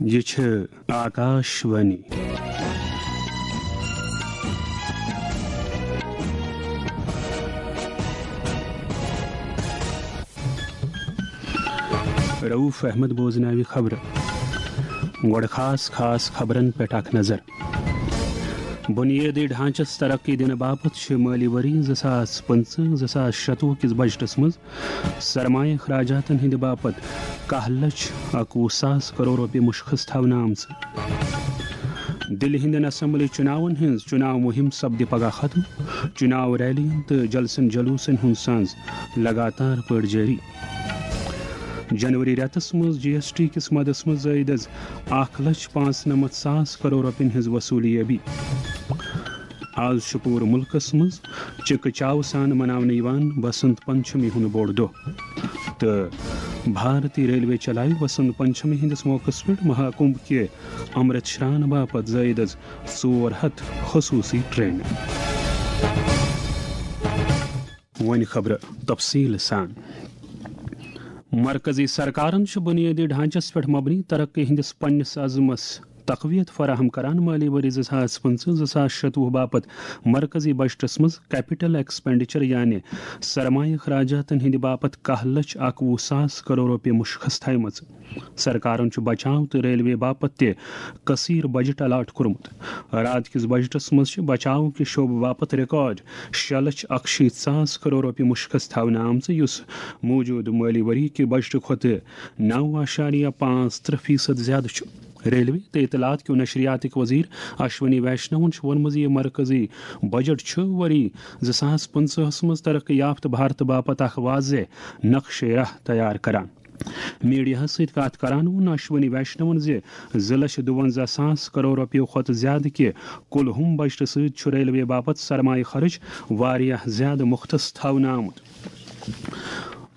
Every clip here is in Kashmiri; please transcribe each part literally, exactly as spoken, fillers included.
یہِ چھِ آکاش وانی۔ رؤف احمد بوزناوِ خبرٕ۔ گۄڈٕ خاص خاص خبرن پٮ۪ٹھ اکھ نظر۔ بُنیٲدی ڈھانچس ترقی دِنہٕ باپتھ چھِ مٲلی ؤری زٕ ساس پٕنٛژٕہ زٕ ساس شَتوُہ کِس بجٹس منٛز سرمایہ اخراجاتن ہٕنٛدِ باپتھ کاہ لچھ اکوُہ ساس کرور رۄپیہِ مُشخص تھاونہٕ آمژٕ۔ دِلہِ ہٕنٛدٮ۪ن اسمبلی چُناون ہٕنٛز چُناو مُہِم سپدِ پگاہ ختم۔ چُناو ریلیَن تہٕ جلسن جلوسن ہُنٛد سنز لگاتار پٲٹھۍ جٲری۔ جنوری رٮ۪تس منٛز جی ایس ٹی کِس مدس منٛز زٲیِد از اکھ لچھ پانٛژھ نمتھ ساس کرور رۄپین ہٕنٛز وصوٗلی ٲبی۔ از چھُ پوٗرٕ مُلکس منٛز چِکہٕ چاوٕ سان مناونہٕ یِوان بسنت پنچمی ہُنٛد بوٚڑ دۄہ۔ تہٕ بھارتی ریلوے چلایہِ وسنت پنچمی ہٕنٛدِس موقعس پٮ۪ٹھ مہاکُمبھ کہِ امرت شران باپتھ زٲیِد از ژور ہتھ خصوٗصی ٹرینہٕ۔ وۄنۍ خبرٕ تفصیٖل سان۔ مرکزی سرکارن چھُ بُنیٲدی ڈھانچس پٮ۪ٹھ مبنی ترقی ہٕنٛدِس پننِس عزمس تقویت فراہم کران۔ مٲلی ؤری زٕ ساس پٕنٛژٕہ زٕ ساس شَتوُہ باپتھ مرکزی بجٹس منٛز کیپٹل ایکسپینڈیچر، یعنی سرمایہ اخراجاتن ہٕنٛدِ باپتھ کاہ لچھ اکوُہ ساس کرور رۄپیہِ مُشخص تھایمژٕ۔ سرکارن چھُ بچاو تہٕ ریلوے باپتھ تہِ کثیر بجٹ الاٹ کوٚرمُت۔ راتھ کِس بجٹس منٛز چھِ بچاو کہِ شعبہٕ باپتھ ریکارڈ شےٚ لچھ اکشیٖتھ ساس کرور رۄپیہِ مُشخص تھاونہٕ آمژٕ، یُس موجودٕ مٲلی ؤری کہِ بجٹہٕ کھۄتہٕ نو اعشاریہ پانٛژھ ترٕٛہ فیصد زیادٕ چھُ۔ ریلوے تہٕ اطلاعات کیو نشریاتٕکۍ وزیر اشونی ویشنون چھُ ووٚنمُت زِ یہِ مرکزی بجٹ چھُ ؤری زٕ ساس پٕنٛژٕہس منٛز ترقی یافتہٕ بھارتہٕ باپتھ اکھ واضح نقشے راہ تیار کران۔ میڈیاہَس سۭتۍ کَتھ کران ووٚن اشونی ویشنون زِ زٕ لچھ دُوَنزاہ ساس کرور رۄپیو کھۄتہٕ زیادٕ کہِ کُل ہُم بجٹہٕ سۭتۍ چھُ ریلوے باپتھ سرمایہ خرٕچ واریاہ زیادٕ مُختص تھاونہٕ آمُت۔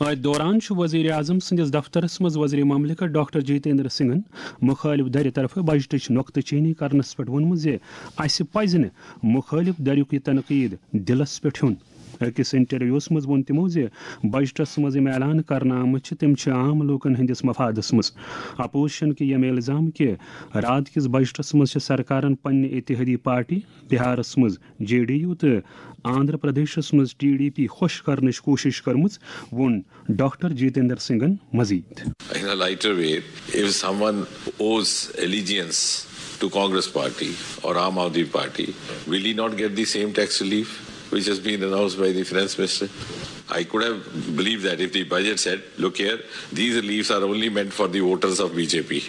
أتھۍ دوران چھُ وزیر اعظم سٕنٛدِس دفترس منٛز وزیر مملکت ڈاکٹر جتیندر سنگھن مخٲلف دھرِ طرفہٕ بجٹٕچ نۄقطہٕ چینی کرنس پٮ۪ٹھ ووٚنمُت زِ اسہِ پزِ نہٕ مخٲلف دھرُک یہِ تنقید دِلس پٮ۪ٹھ ہیوٚن۔ أکِس انٹرویوس منٛز ووٚن تِمو زِ بجٹس منٛز یِم اعلان کرنہٕ آمٕتۍ چھِ، تِم چھِ عام لوٗکن ہٕنٛدِس مفادس منٛز۔ اپوزیشن کہِ یِم الزام کہِ راتھ کِس بجٹس منٛز چھِ سرکارن پننہِ اتحادی پارٹی بہارس منٛز جے ڈی یو تہٕ آندھرا پردیشس منٛز ٹی ڈی پی خۄش کرنٕچ کوٗشش کٔرمٕژ، ووٚن ڈاکٹر جتیندر سنگھن مزید۔ In a lighter way, if someone owes allegiance to Congress party or Aam Aadmi Party, will he not get the same tax relief which has been announced by the finance minister? I could have believed that if the budget said, "Look here, these reliefs are only meant for the voters of B J P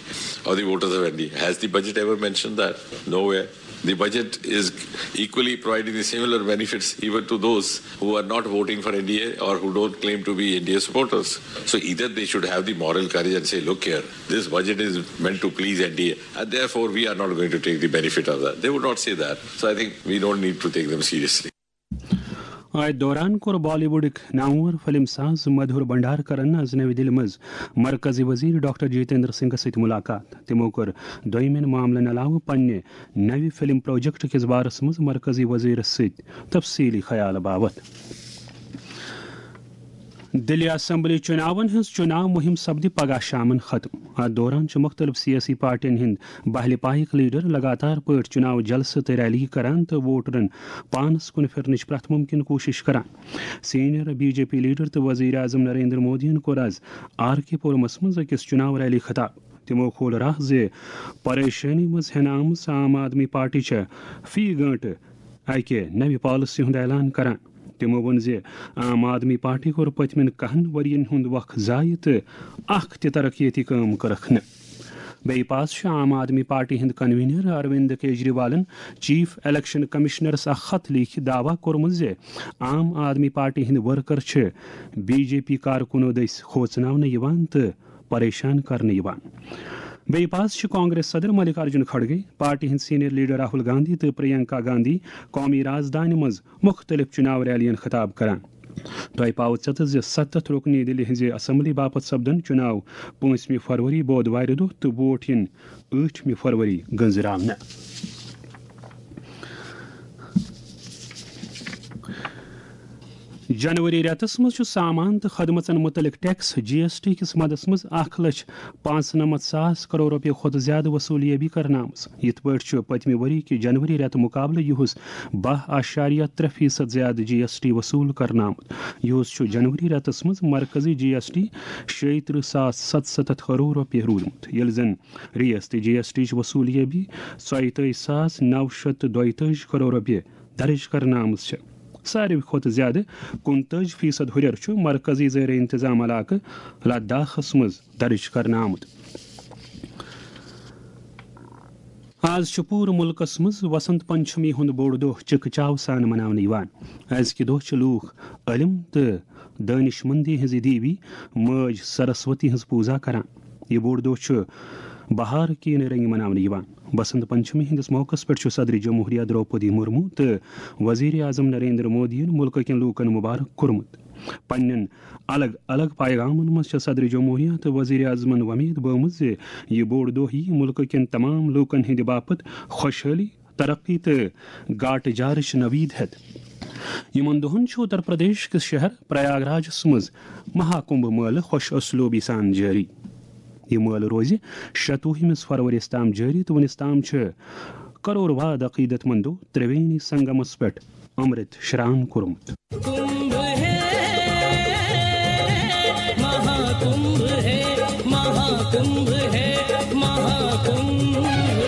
or the voters of N D A." Has the budget ever mentioned that? Nowhere. The budget is equally providing the similar benefits even to those who are not voting for N D A or who don't claim to be N D A supporters. So either they should have the moral courage and say, "Look here, this budget is meant to please N D A, and therefore we are not going to take the benefit of that." They would not say that. So I think we don't need to take them seriously. أتھۍ دوران کوٚر بالی ووڈٕکۍ نامور فلم ساز مدھور بھنڈارکرن از نَوِ دِلہِ منٛز مرکزی وزیر ڈاکٹر جتیندر سنگھس سۭتۍ ملاقات۔ تِمو کٔر دوٚیمٮ۪ن معاملن علاوٕ پننہِ نَوِ فلم پروجیکٹ کِس بارس منٛز مرکزی وزیرس سۭتۍ تفصیلی خیال باوت۔ دِلہِ اسمبلی چُناون ہٕنٛز چُناو مُہِم سپدِ پگاہ شامن ختم۔ اتھ دوران چھِ مُختٔلِف سیٲسی پارٹین ہٕنٛدۍ بہلہِ پایِکۍ لیڈر لگاتار پٲٹھۍ چُناو جلسہٕ تہٕ ریلی کران تہٕ ووٹرن پانس کُن پھِرنٕچ پرٛٮ۪تھ مُمکِن کوٗشش کران۔ Senior B J P leader تہٕ وزیر اعظم نریندر مودیَن کوٚر از آر کے پورمس منٛز أکِس چُناو ریلی خطاب۔ تِمو کھول راہ زِ پریشٲنی منٛز ہٮ۪نہٕ آمٕژ عام آدمی پارٹی چھےٚ فی گٲنٹہٕ اکہِ نوِ پالیسی ہُنٛد اعلان کران۔ تِمو ووٚن زِ عام آدمی پارٹی کوٚر پٔتمٮ۪ن کہن ؤرین ہُنٛد وق ضایع تہٕ اکھ تہِ ترقیتی کٲم کٔرٕکھ نہٕ۔ بیٚیہِ پاس چھُ عام آدمی پارٹی ہٕنٛدۍ کنوینر اروند کیجریوالن چیف الیکشن کمشنرس اکھ خط لیکھِتھ دعویٰ کوٚرمُت زِ عام آدمی پارٹی ہٕنٛدۍ ورکر چھِ بی جے پی کارکُنو دٔسۍ کھوژناونہٕ یِوان تہٕ پریشان کرنہٕ یِوان۔ بیٚیہِ پاس چھِ کانگریس صدر ملک ارجن کھڑگے، پارٹی ہٕنٛدۍ سینئر لیڈر راہل گاندھی تہٕ پرینکا گاندھی قومی رازدانہِ منٛز مُختٔلِف چُناو ریلیَن خطاب کران۔ تۄہہِ پاوٕ ژٮ۪تس زِ ستتھ رُکنی دِلہِ ہٕنٛزِ اسمبلی باپتھ سپدن چُناو پٲنٛژمہِ فروری بودوارِ دۄہ تہٕ ووٹ یِن ٲٹھمہِ فروری گٔنزراونہٕ۔ جنوری رٮ۪تس منٛز چھُ سامان تہٕ خدمژن مُتعلق ٹیکس، جی ایس ٹی، کِس مدس منٛز اکھ لچھ پانٛژنمتھ ساس کرور رۄپیہِ کھۄتہٕ زیادٕ وصوٗلیٲبی کرنہٕ آمٕژ۔ یِتھ پٲٹھۍ چھُ پٔتمہِ ؤری کہِ جنوری رٮ۪تہٕ مُقابلہٕ یِہُس باہ اعشاریہ ترٛےٚ فیصد زیادٕ جی ایس ٹی وصوٗل کرنہٕ آمُت۔ یِہُس چھُ جنوری رٮ۪تس منٛز مرکزی جی ایس ٹی شیٚیہِ ترٕٛہ ساس ستستتھ کرور رۄپیہِ روٗدمُت، ییٚلہِ زن ریاستی جی ایس ٹی چہِ وصوٗلیٲبی ژۄیہِ تٲجۍ ساس نو شیٚتھ تہٕ دۄیہِ تٲجۍ کرور رۄپیہِ درٕج کرنہٕ آمٕژ چھےٚ۔ ساروی کھۄتہٕ زیادٕ کُنتٲجۍ فیصد ہُرٮ۪ر چھُ مرکزی زیر انتظام علاقہٕ لداخس منٛز درٕج کرنہٕ آمُت۔ آز چھُ پوٗرٕ مُلکَس منٛز وسنت پنچمی ہُنٛد بوٚڑ دۄہ چِکہٕ چاو سان مناونہٕ یِوان۔ أزکہِ دۄہ چھِ لوٗکھ علم تہٕ دٲنِش مندی ہٕنٛزِ دیوی مٲج سرسوتی ہٕنٛز پوٗزا کران۔ یہِ بوٚڑ دۄہ چھُ بہار کہِ نہٕ رنگہِ مناونہٕ یِوان۔ بسنت پنچمی ہٕنٛدِس موقعس پٮ۪ٹھ چھُ صدر جمہوریہ درٛوپدی مرمو تہٕ وزیر اعظم نریندر مودیَن مُلکہٕ کٮ۪ن لوٗکَن مُبارک کوٚرمُت۔ پننٮ۪ن الگ الگ پیغامن منٛز چھےٚ صدر جمہوریہ تہٕ وزیر اعظمن وۄمید بٲومٕژ زِ یہِ بوٚڑ دۄہ یِیہِ مُلکہٕ کٮ۪ن تمام لوٗکَن ہٕنٛدِ باپتھ خۄشحٲلی، ترقی تہٕ گاٹہٕ جارٕچ نوید ہٮ۪تھ۔ یِمن دۄہن چھُ اتر پردیش کِس شہر پریاگ راجس منٛز مہا کمبھ مٲلہٕ خۄش اسلوبی سان جٲری۔ یہِ مٲلہٕ روزِ شتوُہمِس فرؤریَس تام جٲری تہٕ وُنِس تام چھِ کرور واد عقیدت مندو ترٛوینی سنگمس پٮ۪ٹھ امرت شران کوٚرمُت۔ کمبھ ہے، مہا کمبھ ہے، مہا کمبھ ہے، مہا کمبھ ہے،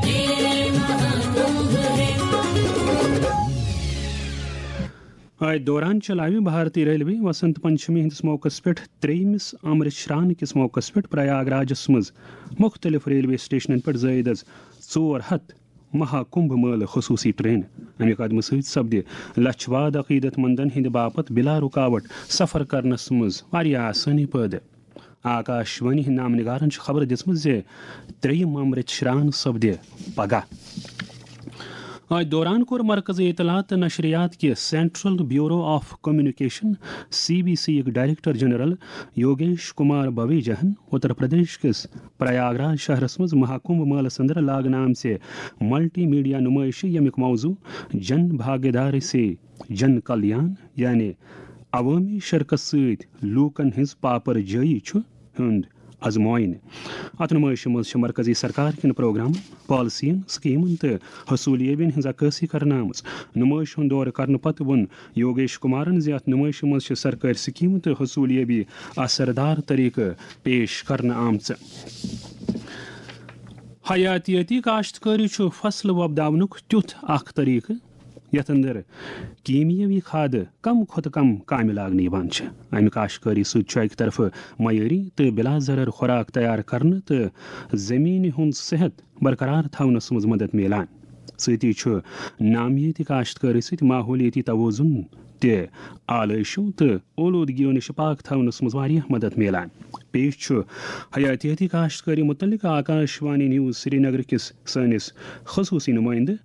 یہ مہا کمبھ ہے۔ اتھ دوران چلاوِ بھارتی ریلوے وسنت پنچمی ہٕنٛدِس موقعس پٮ۪ٹھ ترٛیٚیمِس امرت شران کِس موقعس پٮ۪ٹھ پریاگ راجس منٛز مُختٔلِف ریلوے سٹیشنن پٮ۪ٹھ زٲیِد از ژور ہتھ مہا کمبھ مٲلہٕ خصوٗصی ٹرینہٕ۔ اَمہِ قدمہٕ سۭتۍ سپدِ لچھ واد عقیدت مندن ہٕنٛدِ باپتھ بلا رکاوٹ سفر کرنس منٛز واریاہ آسٲنی پٲدٕ۔ آکاش وانی ہٕنٛدۍ نامہٕ نگارن چھِ خبر دِژمٕژ زِ ترٛیٚیِم امرت شران سپدِ پگاہ۔ اتھ دوران کوٚر مرکزی اطلاعات تہٕ نشریات کہِ Central Bureau of Communication, C B C, یُک ڈائریکٹر جنرل یوگیش کمار بویجاہن اتر پردیش کِس پریاگ راج شہرس منٛز مہاکمبھ مٲلس اندر لاگنہٕ آمژِ ملٹی میڈیا نمٲیشہِ، ییٚمیُک موضوع جن بھاگیداری سے جن کلیان، یعنی عوٲمی شرکت سۭتۍ لوٗکن ہٕنٛز پاپر جٲیی چھُ، ہُنٛد از معائنہٕ۔ اتھ نمٲیشہِ منٛز چھِ مرکزی سرکار کٮ۪ن پروگرامن، پالیسین، سکیمن تہٕ حصولیابین ہٕنٛز عکٲسی کرنہٕ آمٕژ۔ نمٲیشہِ ہُنٛد دورٕ کرنہٕ پتہٕ ووٚن یوگیش کمارن زِ اتھ نمٲیشہِ منٛز چھِ سرکٲرۍ سکیمہٕ تہٕ حصولیابی اثردار طریقہٕ پیش کرنہٕ آمژٕ۔ حیاتیٲتی کاشتکٲری چھُ فصل وۄپداونُک تیُتھ اکھ طریقہٕ یتھ اندر کیمیاوی کھادٕ کم کھۄتہٕ کم کامہِ لاگنہٕ یِوان چھِ۔ امہِ کاشتکٲری سۭتۍ چھُ اکہِ طرفہٕ معیٲری تہٕ بلا ضرر خوراک تیار کرنہٕ تہٕ زمینہِ ہُنٛد صحت برقرار تھاونس منٛز مدد میلان۔ سۭتی چھُ نامیٲتی کاشتکٲری سۭتۍ ماحولیٲتی توازن تہِ آلٲیشو تہٕ اولوٗدگیو نِش پاک تھاونس منٛز واریاہ مدد میلان۔ پیش چھُ حیاتیٲتی کاشتکٲری متعلق آکاش وانی نیوز سرینگر کِس سٲنِس خصوٗصی نُمٲیندٕ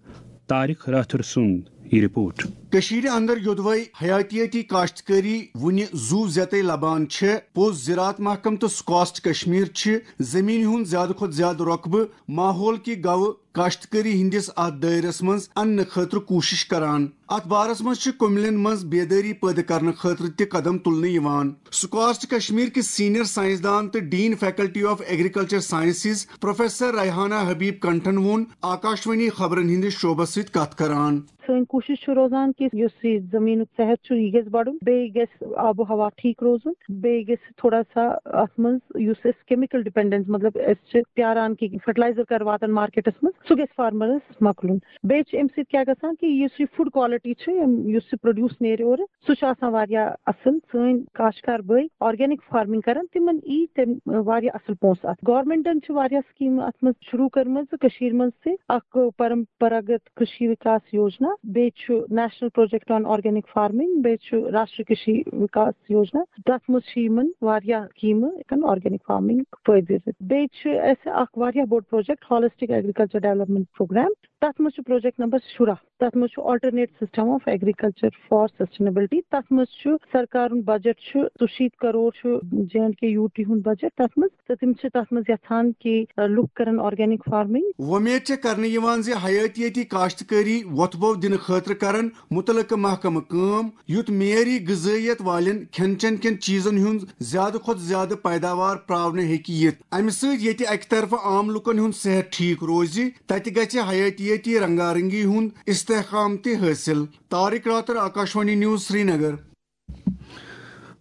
طارق راتھر سُنٛد یہِ رپورٹ۔ کٔشیٖرِ اندر یوٚدوَے حیاتیٲتی کاشتکٲری وُنہِ زُو زیتَے لبان چھےٚ، پوٚز زراعت محکمہٕ تہٕ سکاسٹ کشمیر چھِ زٔمیٖنہِ ہُنٛد زیادٕ کھۄتہٕ زیادٕ رۄقبہٕ ماحول کہِ گوٚو کاشتکٲری ہٕنٛدِس اتھ دٲیرس منٛز اننہٕ خٲطرٕ کوٗشش کران۔ اتھ بارس منٛز چھِ کُملٮ۪ن منٛز بیدٲری پٲدٕ کرنہٕ خٲطرٕ تہِ قدم تُلنہٕ یِوان۔ سکاسٹ کشمیر کِس سینئر سائنسدان تہٕ dean faculty of agriculture sciences professor Rehana Habib کنٹھن ووٚن آکاشوانی خبرن ہٕنٛدِس شعبس سۭتۍ کتھ کران۔ سٲنۍ کوٗشِش چھِ روزان کہِ یُس یہِ زٔمیٖنُک صحت چھُ، یہِ گژھِ بَڑُن، بیٚیہِ گژھِ آب و ہوا ٹھیٖک روزُن، بیٚیہِ گژھِ تھوڑا سا اَتھ منٛز یُس أسۍ کیمِکل ڈِپینڈنس، مطلب، أسۍ چھِ پیاران کہِ فرٹیلایزر کر واتن مارکیٹس منٛز، سُہ گژھِ فارمرس مۄکلُن۔ بیٚیہِ چھِ اَمہِ سۭتۍ کیٛاہ گژھان کہِ یُس یہِ فوڈ کوالٹی چھِ، یِم، یُس یہِ پروڈیوس نیرِ اورٕ، سُہ چھُ آسان واریاہ اَصٕل۔ سٲنۍ کاشتکار بٲے آرگینک فارمنگ کرن، تِمن یی تَمہِ واریاہ اَصٕل پونٛسہٕ اَتھ۔ گورمنٹن چھِ واریاہ سکیٖمہٕ اَتھ منٛز شروٗع کٔرمٕژ کٔشیٖرِ منٛز تہِ۔ اکھ پرمپراگت کٔشی وِکاس یوجنا، بیٚیہِ چھُ national project on organic farming, بیٚیہِ چھُ راشٹری کٔشی وِکاس یوجنا۔ تَتھ منٛز چھِ یِمن واریاہ سکیٖمہٕ ہٮ۪کان آرگینک فارمنگ فٲیدٕ دِتھ۔ بیٚیہِ چھُ اَسہِ اکھ واریاہ بوٚڑ project holistic agriculture development programme. تَتھ منٛز چھُ project number شُراہ، تَتھ منٛز چھُ Alternate System of Agriculture for Sustainability۔ تَتھ منٛز چھُ سرکارُن budget چھُ ژُشیٖتھ کرور چھُ J and K U T ہُنٛد budget تَتھ منٛز، تہٕ تِم چھِ تَتھ منٛز یَژھان کہِ، آ، لُکھ کَرَن organic farming۔ وۄمید چھےٚ کرنہٕ یِوان زِ حیاتیٲتی کاشتکٲری وۄتھٕ بو دِنہٕ خٲطرٕ کرَن مُتعلقہٕ محکمہٕ کٲم، یُتھ معیٲری غذٲیت والٮ۪ن کھٮ۪ن چٮ۪ن کٮ۪ن چیٖزن ہُنٛد زیادٕ کھۄتہٕ زیادٕ پیداوار پراونہٕ ہیٚکہِ یِتھ۔ اَمہِ سۭتۍ ییٚتہِ اَکہِ طرفہٕ عام لُکن ہُنٛد صحت ٹھیٖک روزِ، تَتہِ گژھِ حیاتیٲتی رنگارنگی ہُنٛد استحکام تہِ حٲصِل۔ طارق راتر، آکاشوانی نیوز، سرینگر۔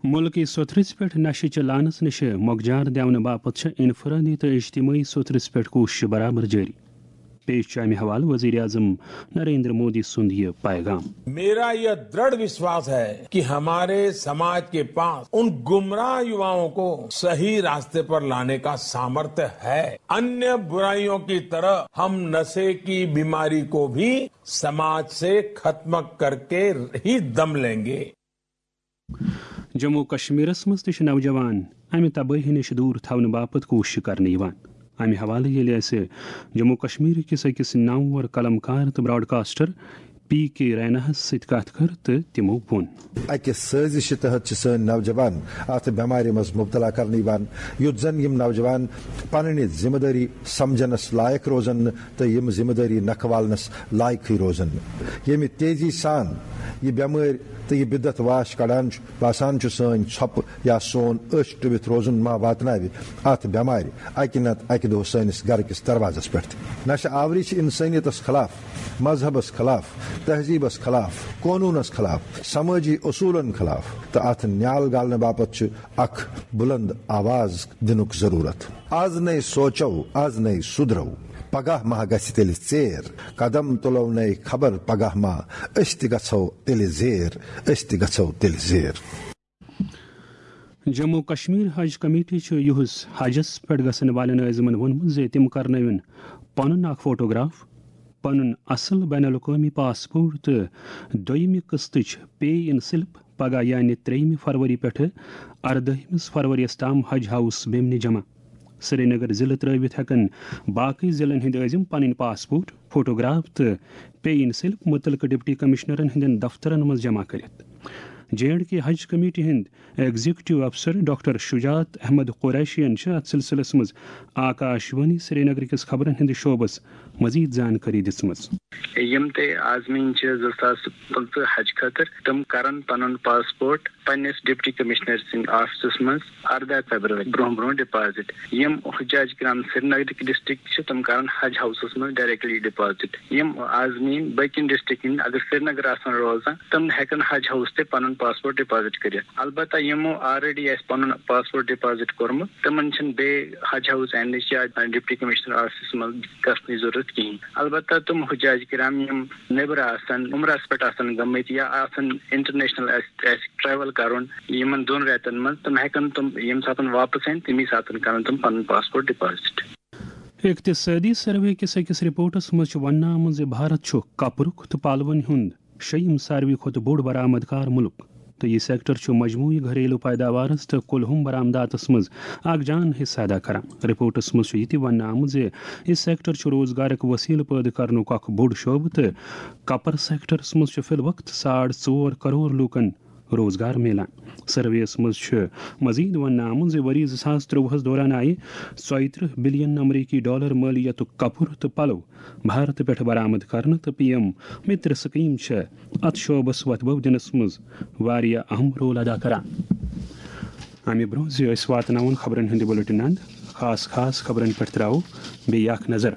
مُلکٕے سوٚتھرِس پٮ۪ٹھ نشہٕ چہِ لعنس نِشہِ مۄکجار دِونہٕ باپتھ چھےٚ انفرٲدی تہٕ اجتمٲعی سوٚتھرِس پٮ۪ٹھ کوٗششہٕ برابر جٲری۔ پیش چھُ امہِ حوالہٕ وزیر اعظم نریندر مودی سُنٛد یہِ پیغام۔ میرا یہ دڑھ وشواس ہے کہ ہمارے سماج کے پاس ان گمراہ یواؤں کو صحیح راستے پر لانے کا سامرتھ ہے۔ انیہ برائیوں کی طرح ہم نشے کی بیماری کو بھی سماج سے ختم کر کے ہی دم لیں گے۔ جموں کشمیرس منٛز تہِ چھِ نوجوان امہِ تبٲہی نِش دوٗر تھاونہٕ باپتھ کوٗشش کرنہٕ یِوان۔ امہِ حوالہٕ ییٚلہِ اَسہِ جموں کشمیر کِس أکِس نامور قلم کار تہٕ broadcaster P K Raina ہَس سۭتۍ کتھ کٔر تہٕ تِمو ووٚن۔ اَکہِ سٲزِشہِ تحت چھِ سٲنۍ نوجوان اَتھ بٮ۪مارِ منٛز مُبتلا کرنہٕ یِوان، یُتھ زن یِم نوجوان پنٕنہِ ذمہٕ دٲری سمجھنس لایق روزن نہٕ تہٕ یِم ذمہٕ دٲری نکھٕ والنس لایقٕے روزن نہٕ۔ ییٚمہِ تیزی سان یہِ بٮ۪مٲرۍ تہٕ یہِ بدعت واش کڑان چھُ، باسان چھُ سٲنۍ ژھۄپہٕ یا سون أچھ ٹُوِتھ روزُن ما واتناوِ اَتھ بٮ۪مارِ اَکہِ نتہٕ اَکہِ دۄہ سٲنِس گرٕ کِس دروازس پٮ۪ٹھ تہِ۔ نشہٕ آوری چھِ انسٲنیتس خلاف، مذہبس خلاف، تہذیبس خلاف، قونوٗنس خلاف، سمٲجی اصوٗلن خلاف، تہٕ اَتھ نیال گالنہٕ باپتھ چھُ اکھ بُلند آواز دِنُک ضروٗرت۔ از نے سوچو، از نے سُدرو، پگاہ ما گژھِ تیٚلہِ ژیر۔ قدم تُلو نے خبر پگاہ ما أسۍ تہِ گژھو تیٚلہِ زیر، أسۍ تہِ گژھو تیٚلہِ زیر۔ جموں کشمیر حج کمیٹی چھُ یُہُس حجس پٮ۪ٹھ گژھن والٮ۪ن عٲزمن ووٚنمُت زِ تِم کرنٲوِن پنُن اکھ فوٹوگراف، پنُن اصل بین الاقوٲمی پاسپورٹ تہٕ دوٚیمہِ قٕسطٕچ pay in slip پگاہ یعنی ترٛیٚیِمہِ فروری پٮ۪ٹھٕ اردٲہمِس فروریَس تام حج ہاوُس بیمنہِ جمع۔ سرینگر ضلعہٕ ترٲوِتھ ہٮ۪کن باقٕے ضلعن ہٕنٛدۍ عٲزم پنٕنۍ پاسپورٹ، فوٹوگراف تہٕ pay in slip مُتعلقہٕ ڈپٹی کمشنرن ہٕنٛدٮ۪ن دفترن منٛز جمع کٔرِتھ۔ جے اینڈ کے حج کمیٹی ہٕنٛدۍ ایگزیکٹو افسر ڈاکٹر شجاعت احمد قریشین چھِ اتھ سلسلس منٛز آکاش وانی سرینگر کِس خبرن ہٕنٛدِ شعبس مزید زانکٲری دِژمٕژ۔ یِم تہِ عازمیٖن چھِ زٕ ساس پٕنٛژٕہ حج خٲطرٕ، تِم کرن پنُن پاسپورٹ پننِس ڈپٹی کمشنر سٕنٛدِ آفسس منٛز ارداہ فیبرؤری برونٛہہ برونٛہہ ڈپازٹ۔ یِم حجاج کرام سرینگرٕکۍ ڈسٹرکٹ چھِ، تِم کرن حج ہاوسس منٛز ڈائریکٹلی ڈپازٹ۔ یِم عازمیٖن باقین ڈسٹرکٹن ہٕنٛدۍ اگر سرینگر آسن روزان، تِم ہیٚکن حج ہاوس تہِ پنُن پاسپورٹ ڈپازٹ کٔرِتھ۔ البتہ یِمو آلریڈی آسہِ پنُن پاسپورٹ ڈپازٹ کوٚرمُت، تِمن چھِنہٕ بیٚیہِ حج ہاوس اینڈٕچ یا ڈپٹی کمشنر آفسس منٛز گژھنٕچ ضروٗرت کِہیٖنۍ۔ البتہ تِم حجاج کرام یِم نیٚبرٕ آسن، عمرس پٮ۪ٹھ آسن گٔمٕتۍ یا آسن انٹرنیشنل آسہِ، آسہِ ٹریول کرُن یِمن دۄن رٮ۪تن منٛز، تِم ہیٚکن تِم ییٚمہِ ساتن واپس یِن، تمی ساتن کرن تِم پنُن پاسپورٹ ڈپازٹ۔ اقتصٲدی سروے کِس أکِس رپورٹس منٛز چھُ وننہٕ آمُت زِ بھارت چھُ کپرُک تہٕ پلون ہُنٛد شیٚیِم ساروی کھۄتہٕ بوٚڑ برآمد کار مُلک، تہٕ یہِ سیکٹر چھُ مجموعی گھریلو پیداوارس تہٕ کُلہُم برآمداتس منٛز اکھ جان حصہٕ ادا کران۔ رپورٹس منٛز چھُ یہِ تہِ وننہٕ آمُت زِ یہِ سیکٹر چھُ روزگارٕک وسیلہٕ پٲدٕ کرنُک اکھ بوٚڑ شعبہٕ، تہٕ کپر سیکٹرس منٛز چھُ فی الوقت ساڑ ژور کرور لوٗکن روزگار میلان۔ سروے یَس منٛز چھُ مزید وننہٕ آمُت زِ ؤری زٕ ساس ترٛۆوُہَس دوران آیہِ ژۄیہِ ترٕٛہ بلین امریکی ڈالر مٲلیتُک کپُر تہٕ پلو بھارتہٕ پٮ۪ٹھ برآمد کرنہٕ، تہٕ پی ایم متر سکیٖم چھےٚ اتھ شعبس وۄتھٕ بو دِنس منٛز واریاہ اہم رول ادا کران۔ امہِ برونٛہہ زِ أسۍ واتناوون خبرن ہُنٛد بُلٹن اند، خاص خاص خبرن پٮ۪ٹھ تراوو بیٚیہِ اکھ نظر۔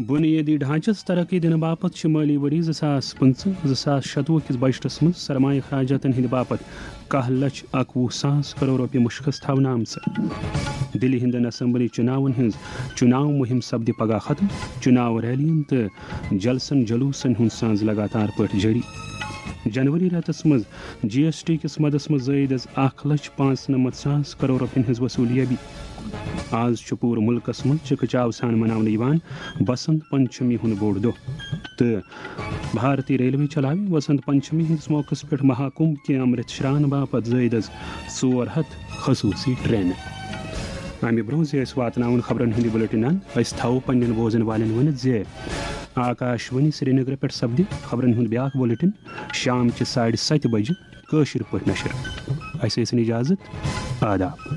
بنیٲدی ڈھانچس ترقی دِنہٕ باپتھ چھِ مٲلی ؤری زٕ ساس پٕنٛژٕہ زٕ ساس شَتوُہ کِس بجٹس منٛز سرمایہ اخراجاتن ہٕنٛدِ باپتھ کاہ لچھ اکوُہ ساس کرور رۄپیہِ مُشخص تھاونہٕ آمژٕ۔ دِلہِ ہٕنٛدٮ۪ن اسمبلی چُناون ہٕنٛز چُناو مُہِم سپدِ پگاہ ختم۔ چُناو ریلین تہٕ جلسن جلوسن ہُنٛد سانز لگاتار پٲٹھۍ جٲری۔ جنوری رٮ۪تس منٛز جی ایس ٹی کِس مدس منٛز زٲیِد از اکھ لچھ پانٛژنمتھ ساس کرور رۄپین ہٕنٛز وصوٗلیٲبی۔ آز چھُ پوٗرٕ مُلکَس منٛز چِکہٕ چاو سان مناونہٕ یِوان بسنت پنچمی ہُنٛد بوٚڑ دۄہ، تہٕ بھارتی ریلوے چلاوِ وسنت پنچمی ہٕنٛدِس موقعس پٮ۪ٹھ مہاکُمبھ کے امرت شران باپتھ زٲیِد از ژور ہتھ خصوٗصی ٹرینہٕ۔ امہِ برونٛہہ زِ أسۍ واتناوون خبرن ہُنٛد یہِ بُلٹن، أسۍ تھاوو پننٮ۪ن بوزن والٮ۪ن ؤنِتھ زِ آکاش وانی سرینگر پٮ۪ٹھ سپدِ خبرن ہُنٛد بیاکھ بُلٹن شام چہِ ساڑِ ستہِ بجہِ کٲشِر پٲٹھۍ نشر۔ اسہِ ٲسِن اجازت۔ آداب۔